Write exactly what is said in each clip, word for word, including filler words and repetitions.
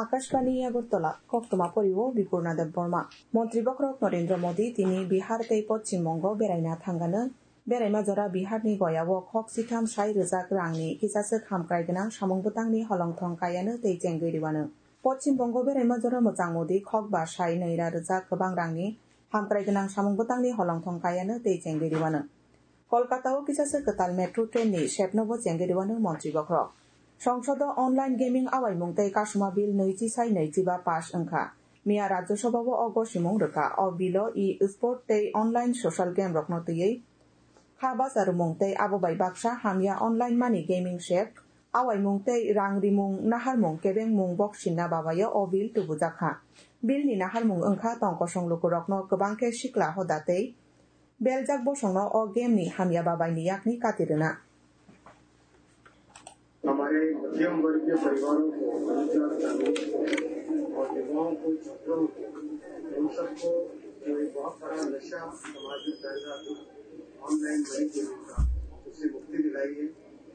Akashbani Agartala, koktwma porio Bipurna Debbarma. Montri bokhorok Narendra Modi tini Bihar tei Poschim Bongo beraina thangano. Beraima jora Biharni Goyao khok sitham sai rwjak rangni kisaswk hamkrai gwnang samung bwtangni holongthong kaiano tei chengwi rwano. Poschim Bongo beraima jora mwchang Modi khok ba sai nwi ra rwjak kwbang rangni hamkrai gwnang samung bwtangni holongthong kaiano tei chengwi rwano. Kolkata o kisaswk kwtal metro train ni sepno bo chengwi rwano montri bokhorok. Songsodo online gaming awaimung tei kasuma bill nwichi sai nwichi ba pass wngkha. Miya Rajya Sabha o o gosimung rwkha. O bill o e-sport tei online social game rokno twiwi kha bacharwmung tei abo bai baksa hamya online money gaming sep, awaimung tei rang rimung naharmung kebengmung boksinna babaio o bill tubujakha. Bill ni naharmung wngkha tong kosong lukurokno kwbang khe sikla hoda tei beljak bosongno o game ni hamya babaini yakni kati rwna. हमारे मध्यम वर्गीय परिवारों को रोजगार करने और युवाओं को छात्रों को, उन सबको जो एक बहुत बड़ा नशा समाज में फैल रहा था, ऑनलाइन मनी गेमिंग का, उससे मुक्ति दिलाई है।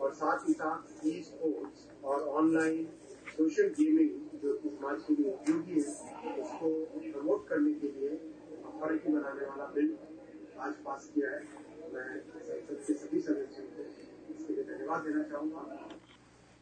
और साथ ही साथ ई स्पोर्ट्स और ऑनलाइन सोशल गेमिंग जो कि समाज के लिए उपयोगी है, उसको प्रमोट करने के लिए अथॉरिटी बनाने वाला बिल आज पास किया है। मैं संसद के सभी सदस्यों को इसके लिए धन्यवाद देना चाहूँगा।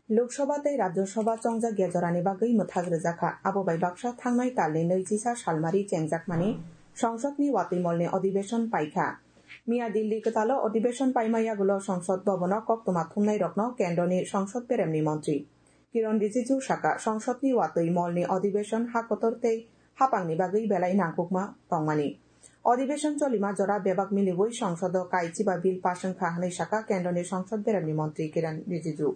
Lok Sabha tei Rajya Sabha chongjak ya jorani bagwi mwthak rwjakha. Abo bai baksa thangnai talni nwichisa salmari chengjakmani Songsodni watwi molni adhibeshon paikha. Miya Delhi kwtalo adhibeshon paima yagulo Songsod Bhabono koktwma thumnairokno kendroni Songsod beremni montri Kiron Rijiju saka, Songsodni watwi molni adhibeshon ha kotor tei hapangni bagwi belai nangkukma tongmani. Adhibeshon cholima jora bebak miliwi Songsodo kai chiba bill pass wngkha hwnwi saka kendroni Songsod beremni montri Kiron Rijiju.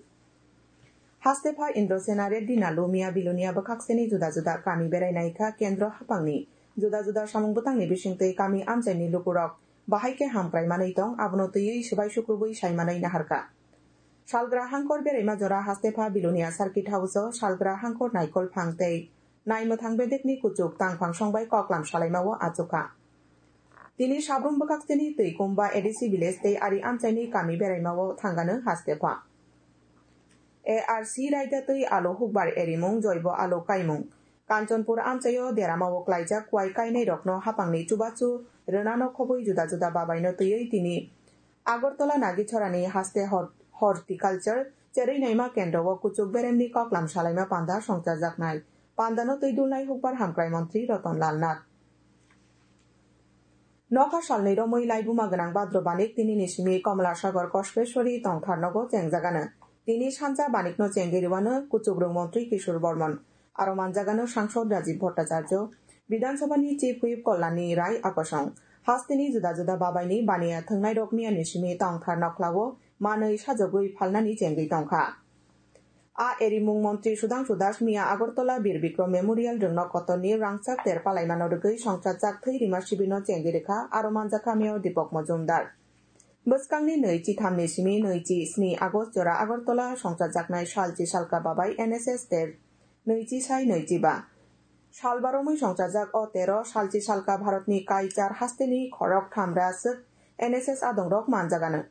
Hastepha Indrasena Reddy Nalu Miya Bilonia bwkhakseni juda juda kami berai naikha kendro hapangni juda juda samung bwtangni bisingtwi kami amchaini lukurok bahai khe hamkrai manwi tong, abono twiwi swbai sukrubwi sai manwi naharkha. Salgra hangkor beraima jora Hastepha Bilonia Circuit House o salgra hangkor naikol phang tei naimwthang bedekni kuchuk tangphang songbai koklam salaimao achukha. Tini Sabrum bwkhakseni Twikumba A D C village tei ari amchaini kami beraimao thangano Hastepha. A R C raida twi alo hukbar erimung joibo alo kaimung. Kanchanpur amchaio deramao klaijak kuai kainairokno hapangni chubachu rwnano khobwi juda juda babaino twiwi tini Agartala Nagichorani haste hor-, horticulture cherwi naima kendro o kuchuk beremni koklam salaima panda songchajaknai. Pandano twi dulnai hukbar hamkrai montri Ratan Lal Nath. Nokha salnwi romwi laibuma gwnang Badro Banik tinini simi Komla Sagar Kospeswari tongthar nogo chengjagano. Tini sanja Banikno chengwi rwano kuchukrwng montri Kishore Bormon. Aro manjagano Sangsod Rajiv Bhattacharya, Bidhan Sabhani Chief Whip Kalyani Rai Akosong. Hasteni juda juda babaini baniya thwngnairok miyani simi tongthar nokhlao manwi sajagwi phalnani chengwi tongkha. A erimung montri Sudhangshu Das miya Agartala Bir Bikram Memorial rwngno kotorni rangchak ter palaimano rwgwi songchajak thwi rima sibirno chengwi rwkha, aro manjakha Mayor Deepak Majumdar. Bwskangni nwi chi thamni simi nwi chi sni August jora Agartala songchajaknai salchi salka babai N S S ter nwi chi sai nwi chi ba. Sal baromwi songchajak o tero salchi salka Bharatni kaichar hasteni khorok thamra swk N S S adongrok manjagano.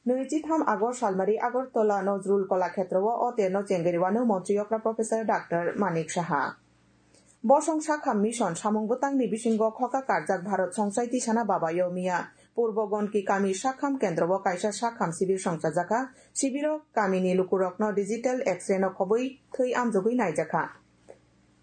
Nwi chi tham August salmari Agartala Nojrul Kolakhetrao o terno chengwi rwano montri okra Professor Doctor Manik Saha. Bosong Sakham Mission samung bwtangni bisingo khoka karjak Bharat Songchaiti Sana Babayo miya Purbo Gonki kami Sakham kendro o kaisa Sakham sibir songchajakha. Sibiro kamini lukurokno digital X-ray no khobwi thwi amjogwi naijakha.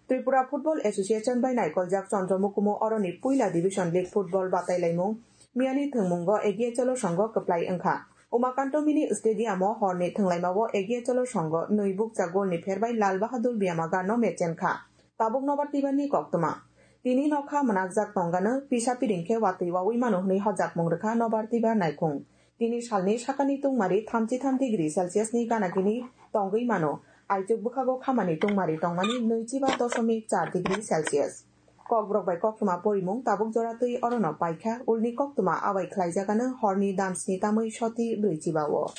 Tripura Football Association bai naikoljak Chandra Mukumu oroni puila Division League football batailaimung miyani thwngmungo Egiye Cholo songo kwplai wngkha. Umakanto Mini Stadium o horni thwnglaimao Egiye Cholo songo nwi bukcha golni pherbai Lal Bahadur Byamaga no mechenkha. Tabuk nobar twibarni koktwma. Tini nokha mwnakjak tongano pisa piring khe watwi wawi mano hwnwi hojakmung rwkha nobar twibar naikhung. Tini salni sakani tungmari thamchi tham degree Celsius ni gana gini tongwi mano. Aichuk bwkhago khamani tungmari tongmani nwichiba dosomik char degree Celsius. Kokborok bai koktwma porimung tabuk jora twi orono paikha, ulni koktwma abai khlaijagano horni damsni tamwi soti brwichiba o.